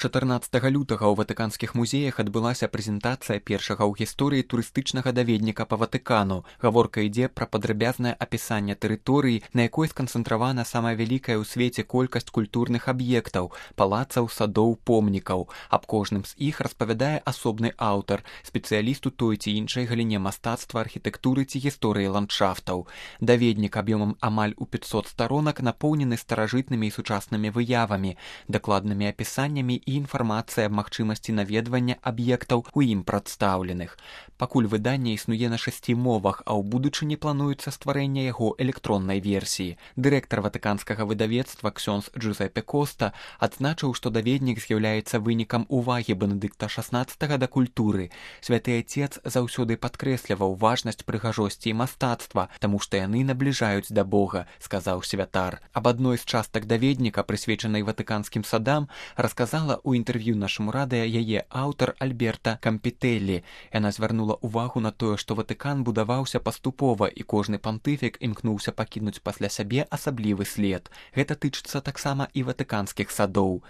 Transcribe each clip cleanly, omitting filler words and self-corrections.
14 лютага ў ватыканскіх музеях адбылася прэзентацыя першага ў гісторыі турыстычнага даведніка па Ватыкану. Гаворка ідзе пра падрабязнае апісанне тэрыторыі, на якой сканцэнтравана самая вялікая ў свеце колькасць культурных аб'ектаў, палацаў, садоў, помнікаў. Аб кожным з іх распавядае асобны аўтар, спецыяліст у той ці іншай галіне мастацтва, архітэктуры ці гісторыі ландшафтаў. Даведнік аб'ёмам амаль у 500 старонак напоўнены старажытнымі і сучаснымі выявамі, дакладнымі апісаннямі і інфармацыя аб магчымасці наведвання аб'ектаў у ім прадстаўленых. Пакуль выданне існуе на 6 мовах, а ў будучыні плануецца стварэнне яго электроннай версіі. Дырэктар ватыканскага выдавецтва ксёндз Джузеппе Коста адзначыў, што даведнік з'яўляецца вынікам увагі Бенедыкта XVI да культуры. Святы Ацец заўсёды падкрэсліваў важнасць прыгажосці і мастацтва, таму што яны набліжаюць да Бога, сказаў святар. Аб адной з частак даведніка, прысвечанай ватыканскім садам, расказала у інтэрв'ю нашаму радыё яе аўтар Альберта Кампітэлі. Яна звярнула ўвагу на тое, што Ватыкан будаваўся паступова і кожны пантыфік імкнуўся пакінуць пасля сябе асаблівы след. Гэта тычыцца таксама і ватыканскіх садоў.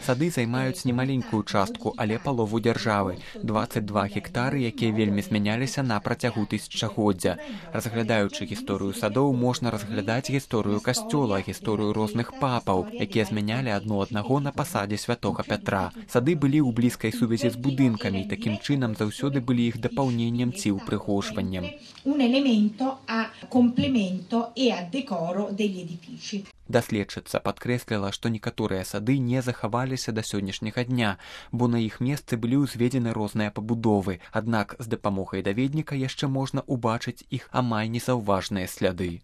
Сады займаюць немаленькую частку, але палову дзяржавы. 22 гектары, якія вельмі змяняліся на працягу тысячагоддзя. Разглядаючы гісторыю садоў, можна разглядаць гісторыю касцёла, гісторыю розных папаў, якія змянялі адно аднаго на пасадзе святога Пятра. Сады былі ў блізкай сувязі з будынкамі, такім чынам заўсёды былі іх дапаўненнем ці ўпрыгожваннем. Даследчыца падкрэсліла, што некаторыя сады не захаваліся да сённяшняга дня, бо на іх месцы былі ўзведзены розныя пабудовы, аднак з дапамогай даведніка яшчэ можна ўбачыць іх амаль незаўважныя сляды.